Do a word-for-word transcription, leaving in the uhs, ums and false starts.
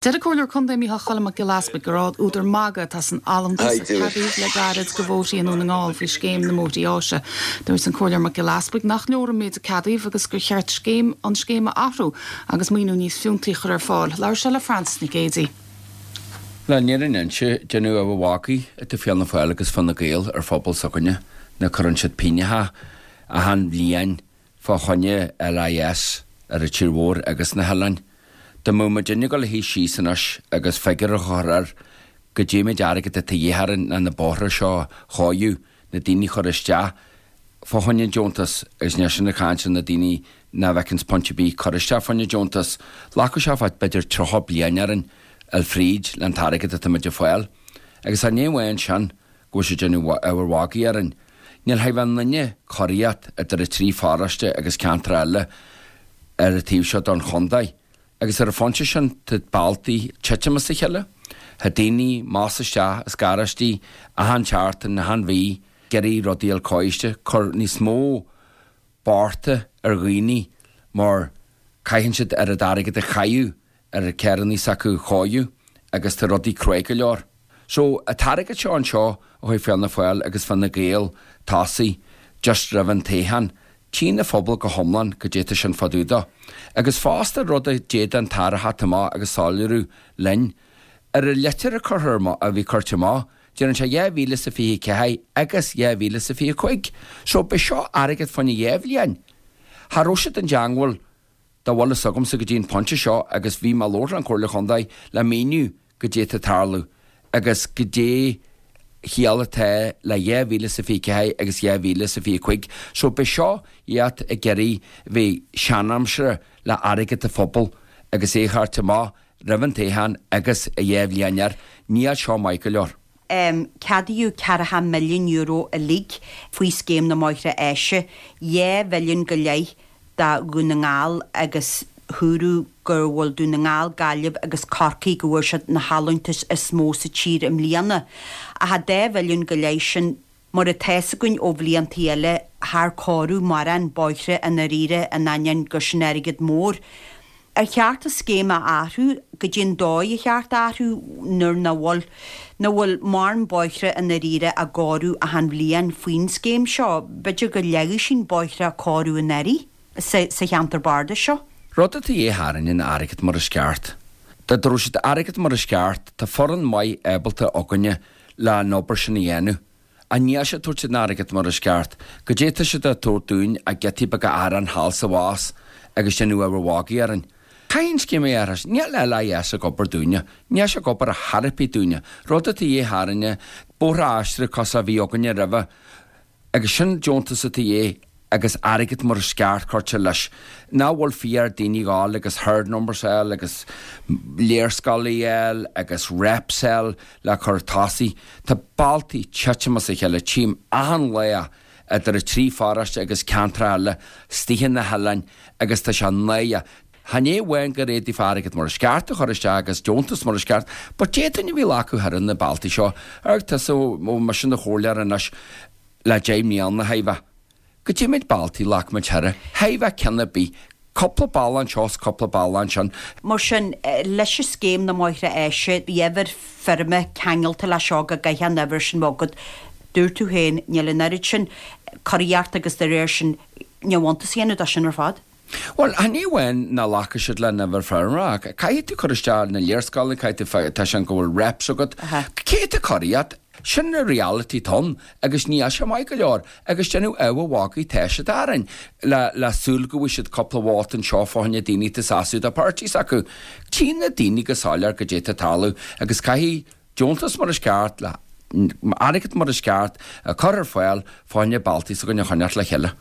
Deir an Comhairleoir Contae Micheál Choilm Mac Giolla Easbuig gur údar magaidh atá san allúntas a ceadaíodh le gairid do bhóithrí i nDún na nGall faoi scéim na mbóithrí áise. Dúirt an Comhairleoir Mac Giolla Easbuig nach leor an méid a ceadaíodh agus gur cheart scéim an scéim a athrú agus maoiniú níos fiúntaí a chur ar fáil. Labhair sé le Frances Nic Géadaigh. Le ní an inse déanamh a bhácaí a Fianna Fáil agus Fine Gael ar phobal s'againne na cuireann siad pínneacha achan bhliain fá choinne LIS ar an tír mhór agus na hoileáin. Dá mbeadh muid ag dul a shuí síos anois agus figiúr a chur air goidé méid airgead atá de dhíth orainn le na bóithre seo a chóiriú na daoine chur isteach fá choinne deontas agus ní sin ag caint na daoine nach bhfeiceanns punt ar bith cur isteach fá choinne deontas. Glacfaidh sé fad b'fhéidir tríocha bliain orainn fháil fríd le an t-airgead atá muid ag fáil. Agus an ní amháin sin go bhfuil sé déanamh ábhar magaidh orainn. Níl ha bheith duine cóiríocht idir a trí pharóiste agus ceantar eile ar an taobh seo don chontae. Agus ar an phointe sin tá bealtaí titim as a chéile, Tá daoine más isteach is garáistí achan tseachtain achan mhí, ag iarraidh rudaí a chóiste, cur níos mó bearta ar dhaoine mar caitheann siad ar an airgead a chaitheamh ar a carrannaí s'acu a chóiriú agus tá rudaí crua go leor. So an t-airgead seo anseo ó chuaigh Fianna Fáil agus Fine Gael tosaigh just roimh an toghchán, Tchí an phobal go hiomlán goidé tá sin fá dtaobh de. Agus fosta rud a d'fhéadfadh an tAire a theacht amach agus soiléiriú linn. Ar an litir a curtha a bhí curtha amach, déanann sé dhá mhíle is a fiche ceathair agus dhá mhíle is a fiche cúig. So b'é seo airgead fá choinne dhá bhliain. Cha raibh siad i dteangmháil dá bhfuil fhios agamsa go dtí an pointe seo agus bhí mé ag labhairt le an Comhairle Chontae le míniú goidé tá ag tarlú agus goidé chiall atá le dhá mhíle is a fiche ceathair agus dhá mhíle is a fiche cúig. So b'é seo iad ag iarraidh bheith seanaimseartha le airgead an phobail agus é a thabhairt amach roimh an toghchán agus a dhá bhliain air. Níl seo maith go leor. Um, ceadaíodh ceathracha milliún euro uilig faoi scéim na mbóithre áise, dhá mhilliún go leith do Dhún na nGall agus dúradh gur bhfuil Dún na nGall, Gaillimh agus Corcaigh go bhfuair siad na hallúntais is mó sa tír i mbliana. Ach a dá mhilliún go leith sin mar atá a fhios againn ó bhliantaí eile char cóiríodh mórán bóithre i ndáiríre in ainneoin gur sin airgead mór. Ar cheart an scéim a athrú goidé an dóigh a cheart athrú nuair nach bhfuil nach bhfuil mórán bóithre i ndáiríre á gcóiriú achan bhliain faoin scéim seo, b'fhéidir go leagfadh sin bóithre a cóiriú in áirithe sa, sa cheantar bardais seo. Rud atá de dhíth orainn an airgead mar is ceart. Dá dtabharfadh siad airgead mar is ceart, tá foireann maith ábalta againne le an obair sin a dhéanamh. Ach níl siad ag tabhairt an airgead mar is ceart, goidé tá siad ag tabhairt dúinn ach giotaí beaga aráin thall 's abhus agus déanamh ábhar magaidh orainn. Caithfidh an scéim a athrú, níl LIS ag obair dúinne, níl sé ag obair ar chor ar bith dúinne. Rud atá de dhíth orainne, bóithre aistrithe cosúil a bhí againne roimhe, agus sin deontas atá de dhíth agus airgead mar is ceart curtha leis. Nach bhfuil fíor daoine gáil agus herd numbers fháil agus léarscáil fháil agus reps fháil le cur tosaigh. Tá bealtaí titim as a chéile tchím achan lá idir a trí pharóiste agus ceantar eile istigh na hoileáin agus tá sé náireach. Chan é amháin gur fhéadfaí airgead mar is ceart a chur isteach agus deontas mar is ceart, but d'fhéadfainn a bhí acu thar na bealtaí seo ar tusa ó mise na chomhairleoir anois le deich mbliana a bheith. Goidé méid bealtaí ghlac muid thoir, thaibh ceann ar bith, cúpla bealach anseo is cúpla bealach ansin. Mar sin leis an scéim na mbóithre áise, bhí uimhir feirme ceangailte le seo go gcaithfidh an uimhir sin bheith agat. Dúirt tú féin níl an oiread sin curaíocht agus de réir sin ní bhuntas a dhéanamh dó sin ar fad. Well, chan é amháin nach nglacfaidh siad le an uimhir feirme ach caithfidh tú cur isteach na léarscáileanna, caithfidh tú tá sin go bhfuil reps agat. Cé tá curaíocht? Sin na reality ann agus níl sé maith go leor agus déanamh ábhar magaidh tá siad orainn le le súil go bhfuil siad cúpla vóta anseo fá choinne daoine atá sásta do parties acu. Tchí na daoine go soiléir goidé tá ag tarlú agus caithfidh deontas mar is ceart le airgead mar is ceart a chur ar fáil fá choinne bealtaí s'againne a choinneáil le chéile.